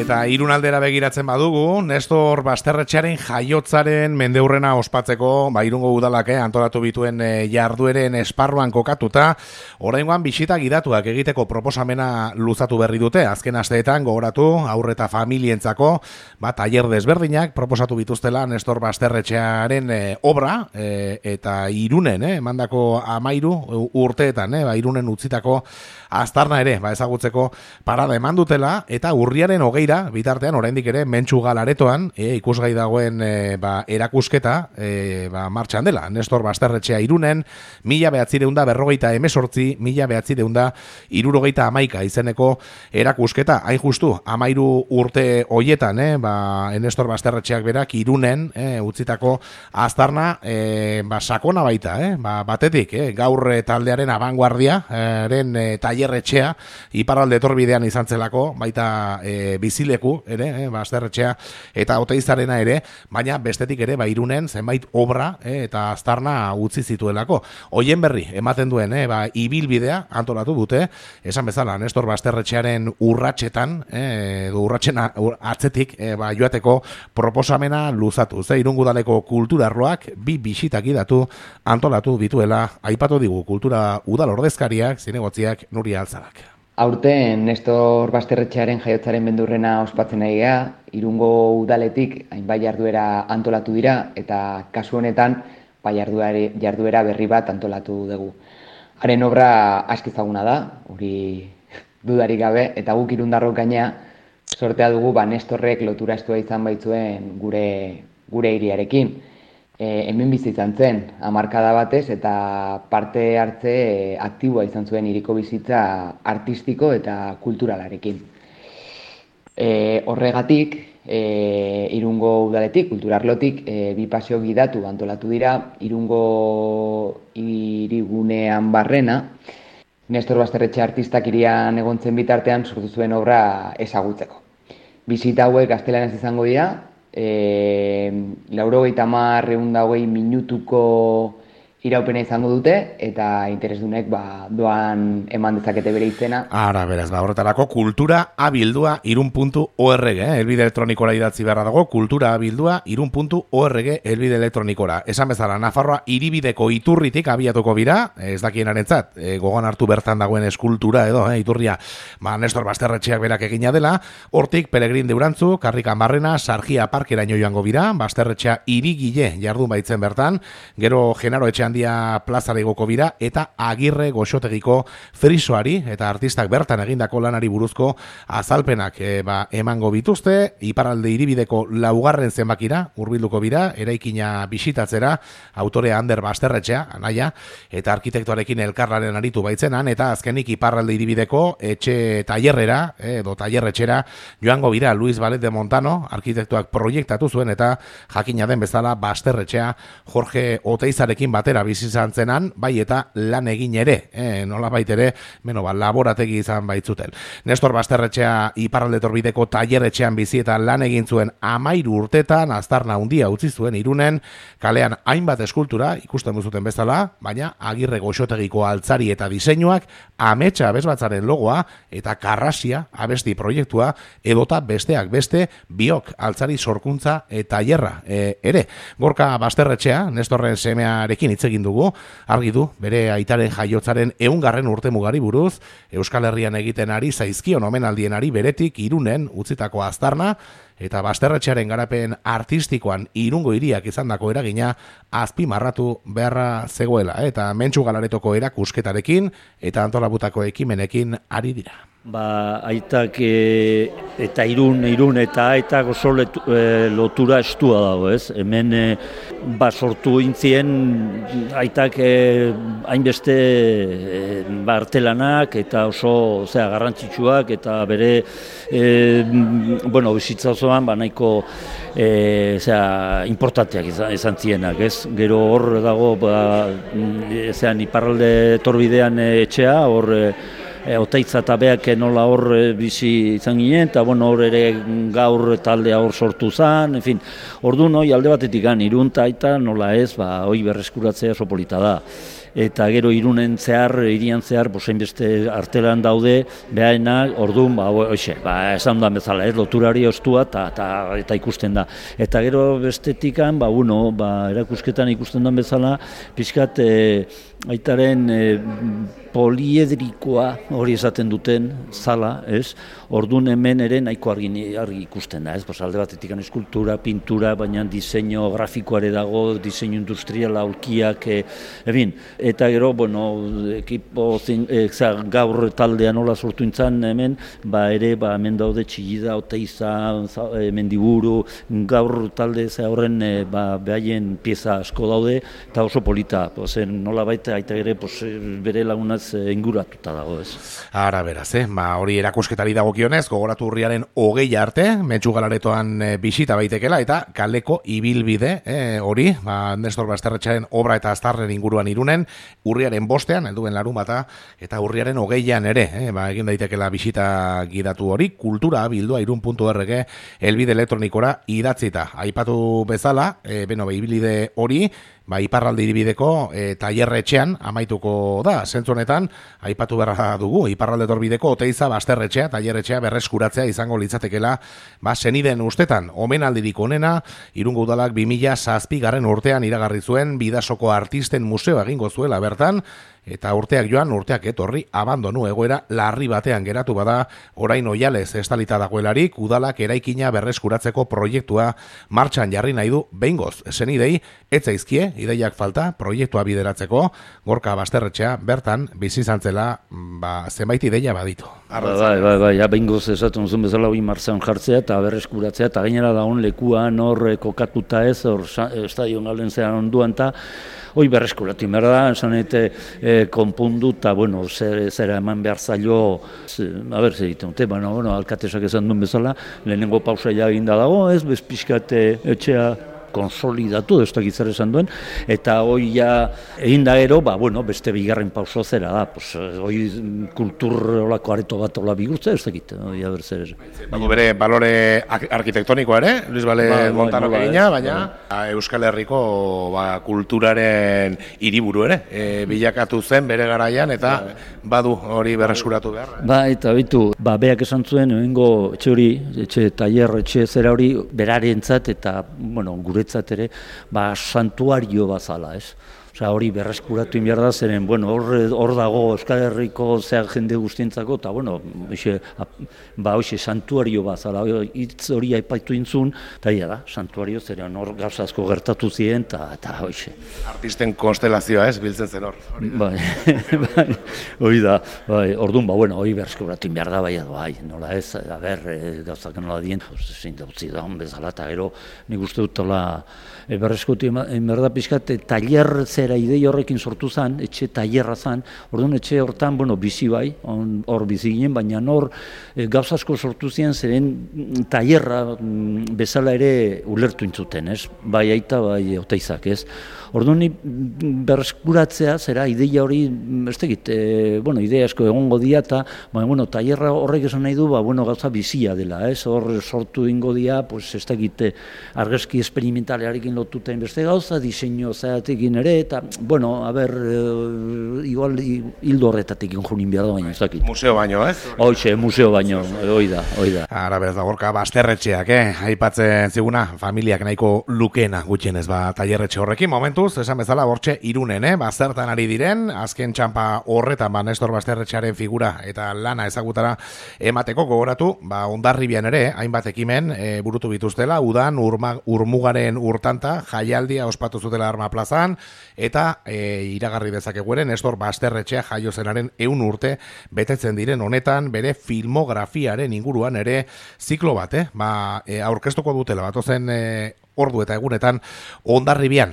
Eta Irunaldera begiratzen badugu, Nestor Basterretxearen jaiotzaren mendeurrena ospatzeko, Irungo udalak antolatu bituen jardueren esparruan kokatuta, oraingoan bisita gidatuak egiteko proposamena luzatu berri dute. Azken asteetan gogoratu haur eta familientzako, tailer desberdinak proposatu bituztela Nestor Basterretxearen obra eta Irunen, emandako 13 urteetan, Irunen utzitako aztarna ere, ezagutzeko parada eman dutela, eta urriaren 20 bitartean oraindik ere Mentxugal aretoan ikusgai dagoen erakusketa martxan dela. Nestor Basterretxea Irunen 1948, 1971 izeneko erakusketa, hain justu 13 urte hoietan, Nestor Basterretxeak berak Irunen utzitako aztarna sakona baita, batetik gaur taldearen abanguardiaren tailerretxea iparralde etorbidean izan zelako, baita bizileku ere, Basterretxea eta Oteizarena ere, baina bestetik ere Irunen zenbait obra eta aztarna utzi zituelako. Hoien berri ematen duen ibilbidea antolatu dute, esan bezala Nestor Basterretxearen urratsetan, urratsen atzetik joateko proposamena luzatu. Irungo udaleko kultura arloak 2 bisitak gidatu antolatu dituela, aipatu digu kultura udal ordezkariak, zinegotziak Nuria Altzabak. Aurten Nestor Basterretxearen jaiotzaren mendurrena ospatzen nahi gea, Irungo udaletik hainbat jarduera antolatu dira eta kasu honetan jarduera berri bat antolatu dugu. Haren obra aski ezaguna da, hori dudarik gabe, eta guk irundarrok gainea sortea dugu Nestorrek lotura estua izan baitzuen gure hiriarekin. Hemen bizi izan zen, hamarkada batez, eta parte hartze aktiboa izan zuen hiriko bizitza artistiko eta kulturalarekin. Horregatik, Irungo udaletik, kulturarlotik, 2 paseo gidatu antolatu dira, Irungo hirigunean barrena, Nestor Basterretxe artistak hirian egontzen bitartean sortu zuen obra ezagutzeko. Bisita hauek gaztelanez izango dira, 90-120 minutuko iraupena izango dute, eta interesdunek doan eman dezakete bere izena. Ara, beraz, horretarako kultura abildua irun.org, elbide elektronikora idatzi beharra dago, kultura abildua irun.org elbide elektronikora. Esan bezala, Nafarroa hiribideko iturritik abiatuko bira, ez dakienarentzat, gogoan hartu bertan dagoen eskultura edo, iturria, Nestor Basterretxeak berak egina dela, hortik Pelegrin Deurantzu, Karrikan Barrena, Sargia Parkeraino joango bira, Basterretxea hirigile jardun baitzen bertan, gero Genaro Etxean Dia plazara igoko bira, eta Agirre Goxotegiko frisoari eta artistak bertan egindako lanari buruzko azalpenak emango bituzte. Iparralde hiribideko 4. zenbakira hurbilduko bira, eraikina bisitatzera, autorea Ander Basterretxea, anaia, eta arkitektoarekin elkarlaren aritu baitzenan, eta azkenik Iparralde hiribideko etxe tailerrera edo tailerretxera joango bira Luis Valet de Montano, arkitektoak proiektatu zuen, eta jakina den bezala Basterretxea Jorge Oteizarekin batera bizi izan zenan, bai eta lan egin ere, nolabait ere, laborategi izan baitzuten. Nestor Basterretxea iparralde etorbideeko tailerretxean bizi eta lan egin zuen 13 urtetan, aztarna handia utzi zuen Irunen, kalean hainbat eskultura ikusten duzuten bezala, baina Agirre Goxotegiko altzari eta diseinuak, Ametsa abesbatzaren logoa eta Karrasia abesti proiektua, edota besteak beste biok altzari sorkuntza eta tailerra ere. Gorka Basterretxea, Nestorren semearekin hitz egin dugu, argi du bere aitaren jaiotzaren 100. urtemugari buruz, Euskal Herrian egiten ari zaizkion omenaldienari beretik Irunen utzitako aztarna, eta Basterretxearen garapen artistikoan Irungo hiriak izandako eragina azpimarratu beharra zegoela, eta Mentxugal aretoko erakusketarekin eta antolabutako ekimenekin ari dira. Aitak eta Irun eta aitak oso lotura estua dago, ez? Hemen sortu intzien aitak hainbeste artelanak eta oso garrantzitsuak eta bere bizitza osoan nahiko importanteak izan zienak, ez? Gero hor dago iparralde etorbidean etxea, hor Oteitza eta beak nola hor bizi izan ginen, eta hor ere gaur taldea hor sortu zen, orduan alde batetik Irun eta aita nola ez, berreskuratzea oso polita da. eta gero Irunen zehar, hirian zehar, hainbeste artelan daude, behaenak, orduan, esan duan bezala, loturari ostua eta ikusten da. Eta gero bestetikan, erakusketan ikusten duan bezala, pixkat aitaren poliedrikoa hori esaten duten zala, ez? Orduan hemen ere nahiko argi ikusten da, ez? Alde batetik eskultura, pintura, baina diseinu grafikoare dago, diseinu industriala, aulkiak, eta gero, ekipo gaur taldea nola sortu intzan hemen, hemen daude Txillida, Oteiza, Mendiburu, gaur talde horren behaien pieza asko daude, eta oso polita, nola baita aita ere bere lagunaz inguratuta dago, ez? Ara beraz, hori erakusketari dagokionez, gogoratu urriaren 20 arte, Metxu Galaretoan bisita baitekela, eta kaleko ibilbide hori, Nestor Basterretxearen obra eta aztarren inguruan Irunen, urriaren 5ean, helduen larunbata, eta urriaren 20ean ere, egin daitekela bisita gidatu hori, kultura bildua irun.org helbide elektronikora idatzita. Aipatu bezala, ibilbide hori, iparralde hiribideko tailerretxean amaituko da. Zentzu honetan, aipatu beharra dugu, iparralde torbideko Oteiza Basterretxea, tailerretxea berreskuratzea izango litzatekela, seniden ustetan, omenaldirik onena, Irungo Udalak 2007 urtean iragarri zuen Bidasoko Artisten Museoa egingo zuela bertan, eta urteak joan, urteak etorri, abandonu egoera larri batean geratu bada, orain oialez estalita dagoelarik, udalak eraikina berreskuratzeko proiektua martxan jarri nahi du behingoz. Senidei, etzaizkie, ideiak falta, proiektua bideratzeko, Gorka Basterretxea, bertan, bizi zantzela, zenbait ideia baditu. Behingoz esaten zuen bezala hori martxan jartzea, eta berreskuratzea, eta gainera dagoen lekuan hor kokatuta ez, hor estadion galen zean onduan, eta hoi berreskuratu behar da, esan konpundu, eta zera eman behar zailo, zer egiten dute, alkatesak esan duen bezala, lehenengo pausa eginda dago, ez, bezpixkate etxea konsolidatu, ez da gizar esan duen, eta hoi egin da ero, beste bigarren pauso zera da, hoi kultur olako areto bat ola bigurtza, ez da egiten, hoi abertzer. Bere balore arkitektonikoa ere, Luis Bale Montanok egina, baina Euskal Herriko kulturaren hiriburu ere, bilakatu zen bere garaian, eta badu hori berreskuratu behar. Eta bitu, beak esan zuen, etxe hori, etxe zera hori, berarentzat eta, guretzat ere, santuario bazala, ez? Hori berreskuratu behar da, zeren, hor dago Euskal Herriko zehar jende guztientzako, eta, hoxe, santuario bazala, hitz hori aipaitu intzun, eta da, santuario, zeren hor gauzazko gertatu ziren, eta hoxe. Artisten konstelazioa ez, biltzen zen hor. Hori da, orduan, hori berreskuratu behar da, nola ez, gauzak nola dien, zein dautzi da, bezala, eta gero, nik uste dut, berreskuratu behar da, pixkat, tailer zera idei horrekin sortu zen, etxe tailerra zen, orduan etxe hortan, bizi bai, hor bizi ginen, baina hor gauza asko sortu ziren, zeren tailerra bezala ere ulertu intzuten, ez? Bai aita, bai Oteizak, ez? Orduan berreskuratzea, zera, ideia hori, ez tegit, ideia asko egongo dia, eta, tailerra horrek esan nahi du, gauza bizia dela, ez? Hor sortu ingo dia, ez tegit, argazki esperimentalearekin lotuta beste gauza, diseinu zatekin ere, eta, igual hildo horretatik injunin behar da baino, ez dakit. Museo baino, ez? Hoxe, museo baino, hoi da. Ara, beraz da, Gorka Basterretxeak, aipatzen ziguna, familiak nahiko lukena gutxienez, tailerretxe horrekin, momentuz, esan bezala, bortxe Irunen, zertan ari diren, azken txampa horretan, Nestor Basterretxearen figura eta lana ezagutara emateko gogoratu, Hondarribian ere, hainbat ekimen burutu bituztela, udan, urmugaren urtanta, jaialdia ospatu zutela Arma Plazan, eta iragarri dezakegueren Nestor Basterretxea jaio zenaren 100 urte betetzen diren honetan bere filmografiaren inguruan ere ziklo bat, aurkeztuko dutela batozen ordu eta egunetan Hondarribian.